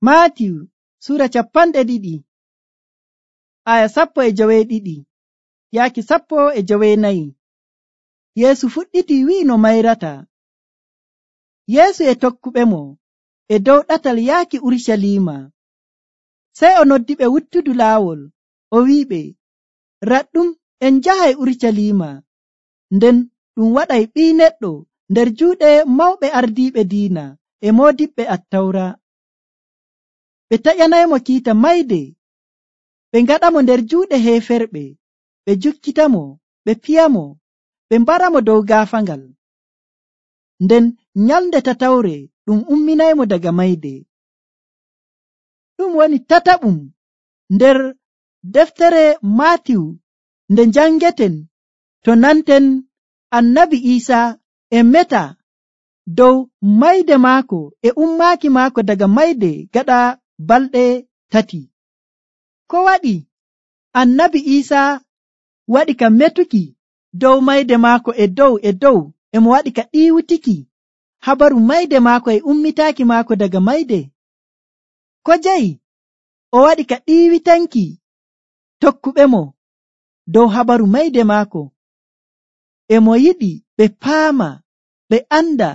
Maatiyu sura 2 aya 12 yaaki 14. Yeesu fuɗɗiti wi'i no mayrata. Yeesu e tokkuɓemo e dow ɗatal yaaki Urucaliima. Sey o noddiɓe wuttudu laawol, o wi'iɓe, raɗɗum en njahay Urucaliima, nden ɗum waɗay Ɓii Neɗɗo nder juuɗe mawɓe ardiiɓe diina e moodiɓɓe Attawra. Ɓe taƴanaymo kiita mayde, ɓe ngaɗamo nder juuɗe heeferɓe, ɓe jukkitamo, ɓe piyamo, ɓe mbaramo dow gaafaangal. Nden nyalnde tatawre ɗum umminaymo daga mayde. Ɗum woni tataɓum nder deftere Maatiyu nde njangeten to nanten Annabi Iisaa e meta dow mayde maako e ummaaki maako daga mayde gaɗa balɗe 3. Ko waɗi Annabi Iisaa waɗi ka metuki dow mayde maako e dow emo waɗi ka ɗiiwitiki habaru mayde maako e ummitaaki maako daga mayde? Ko jeyi o waɗi ka ɗiiwitanki tokkuɓemo dow habaru mayde maako? Emo yiɗi ɓe paama, ɓe anda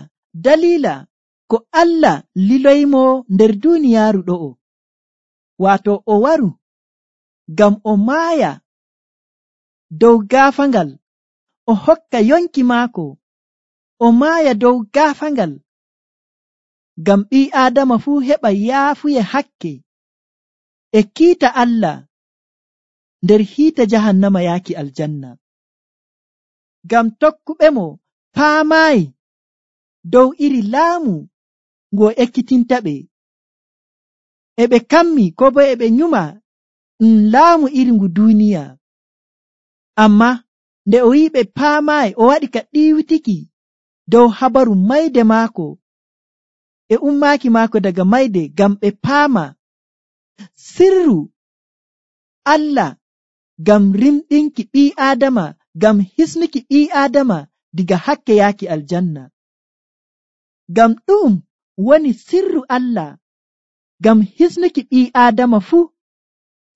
dalila ko Allah liloymo nder duuniyaaru ɗo'o, waato o waru ngam o maaya dow gaafaangal, o hokka yonki maako, o maaya dow gaafaangal, ngam ɓii Aadama fuu heɓa yaafuye hakke e kiita Allah nder hiite jahannama yaaki aljanna. Ngam tokkuɓemo paamaayi dow iri laamu ngu o ekkitintaɓe, e ɓe kammi ko bo e ɓe nyuma laamu iri ngu duuniya. Amma nde o wi'i ɓe paamaayi, o waɗi ka ɗiiwitiki dow habaru mayde maako e ummaaki maako daga mayde ngam ɓe paama sirru Allah ngam rimɗinki ɓii Aadama, ngam hisnuki ɓii Aadama diga hakke yaaki aljanna. Ngam ɗum woni sirru Allah ngam hisnuki ɓii Aadama fuu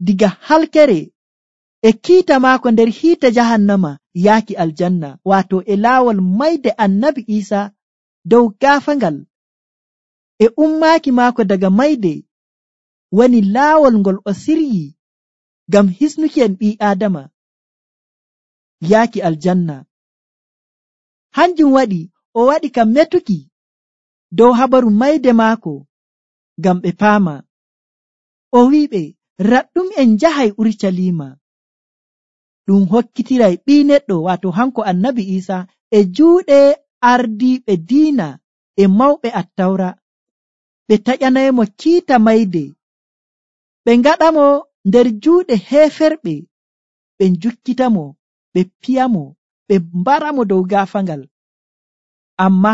diga halkere e kiita maako nder hiite jahannama yaaki aljanna, waato e laawol mayde Annabi Iisaa dow gaafaangal e ummaaki maako daga mayde woni laawol ngol o siryi ngam hisnuki en ɓii Aadama yaaki aljanna. Hanjum waɗi o waɗi ka metuki dow habaru mayde maako ngam ɓe paama. O wi'iɓe, raɗɗum en njahay Urucaliima, ɗum hokkitiray Ɓii Neɗɗo, waato hanko Annabi Iisaa, e juuɗe ardiiɓe diina e mawɓe Attawra. Ɓe taƴanaymo kiita mayde, ɓe ngaɗamo nder juuɗe heeferɓe, ɓe njukkitamo, ɓe piyamo, ɓe mbaramo dow gaafaangal. Amma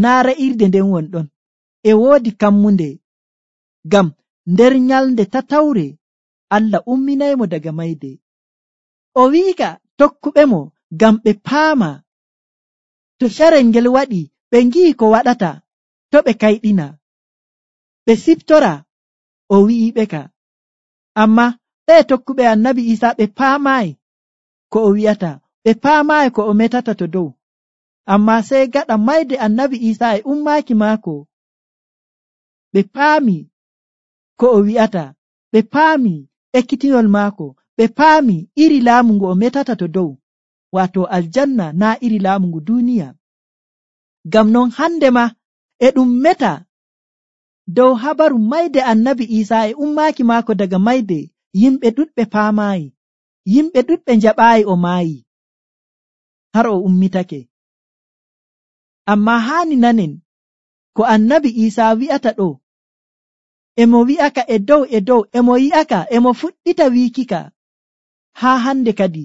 naa re'irde nden wonɗon, e woodi kammunde, ngam nder nyalnde tatawre Allah umminaymo daga mayde. O wi'ika tokkuɓemo ngam ɓe paama, to carel ngel waɗi ɓe ngi'i ko waɗata, to ɓe kayɗina, ɓe siftora, o wi'iɓe ka. Amma ɓe tokkuɓe Annabi Iisaa ɓe paamaayi ko o wi'ata, ɓe paamaayi ko o metata to dow. Amma sey gaɗa mayde Annabi Iisaa e ummaaki maako, ɓe paami ko o wi'ata, ɓe paami ekkitinol maako, ɓe paami iri laamu ngu o metata to dow, waato aljanna, naa iri laamu ngu duuniya. Ngam non hande ma e ɗum meta dow habaru mayde Annabi Iisaa e ummaaki maako daga mayde, yimɓe ɗuɗɓe paamaayi, yimɓe ɗuɗɓe njaɓaayi o maayi har o ummitake. Amma haani nanen ko Annabi Iisaa wi'ata ɗo, emo wi'aka e dow, emo yi'aka, emo fuɗɗita wiikika haa hande kadi,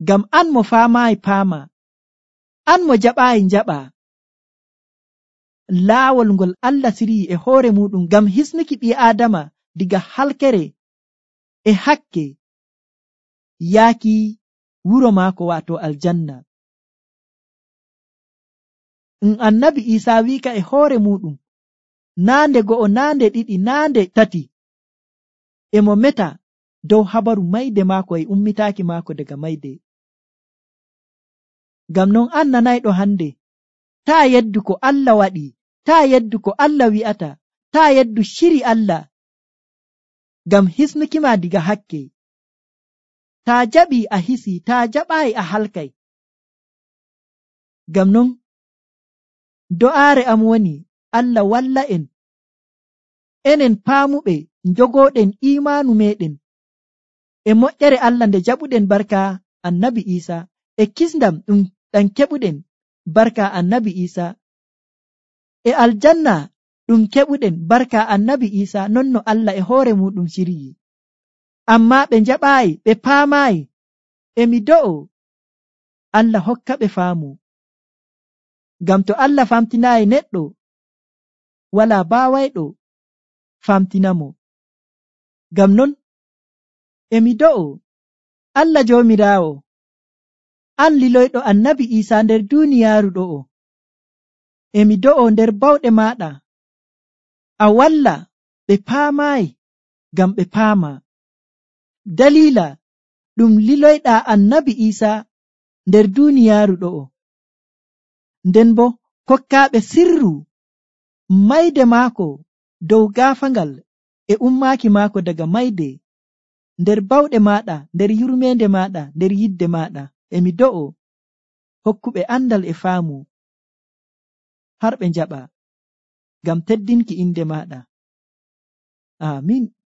ngam an mo faamaayi paama, an mo jaɓaayi njaɓa laawol ngol Allah siryi e hoore muɗum ngam hisnuki ɓii Aadama diga halkere e hakke yaaki wuro maako, waato aljanna. Annabi Iisaa wi'ika e hoore muɗum, naande go'o, naande ɗiɗi, naande tati, emo meta dow habaru mayde maako e ummitaaki maako daga mayde. Ngam non an nanayɗo hande, taa yeddu ko Allah waɗi, taa yeddu ko Allah wi'ata, taa yeddu shiri Allah ngam hisnukima diga hakke. Taa jaɓi a hisi, taa jaɓaayi a halkay. Ngam non do'aare am woni Allah walla en, enen paamuɓe njogooɗen iimaanu meɗen e moƴƴere Allah nde jaɓuɗen barka annabi Isa, e kisndam ɗam keɓuɗen barka annabi Isa, e aljanna ɗum keɓuɗen barka annabi Isa, non no Allah e hoore muɗum shiryi. Amma ɓe jaɓaayi, ɓe paamaayi. Emi do'o Allah hokka ɓe faamu. Ngam to Allah famtinaayi neɗɗo, wala baawayɗo famtinamo. Ngam non emi do'o Allah Joomiraawo, an liloyɗo annabi Isa nder duuniyaaru ɗo'o, emi do'o nder bawɗe maɗa a walla ɓe paamaayi ngam ɓe paama. Dalila ɗum liloyɗa annabi Isa nder duuniyaaru ɗo'o, nden bo kokkaaɓe sirru mayde maako dow gaafangal e ummaaki maako daga mayde, nder bawɗe maɗa, nder yurmeende maɗa, nder yidde maɗa. Emi do'o hokkuɓe andal e faamu har ɓe njaɓa ngam teddinki inde maɗa. Amin.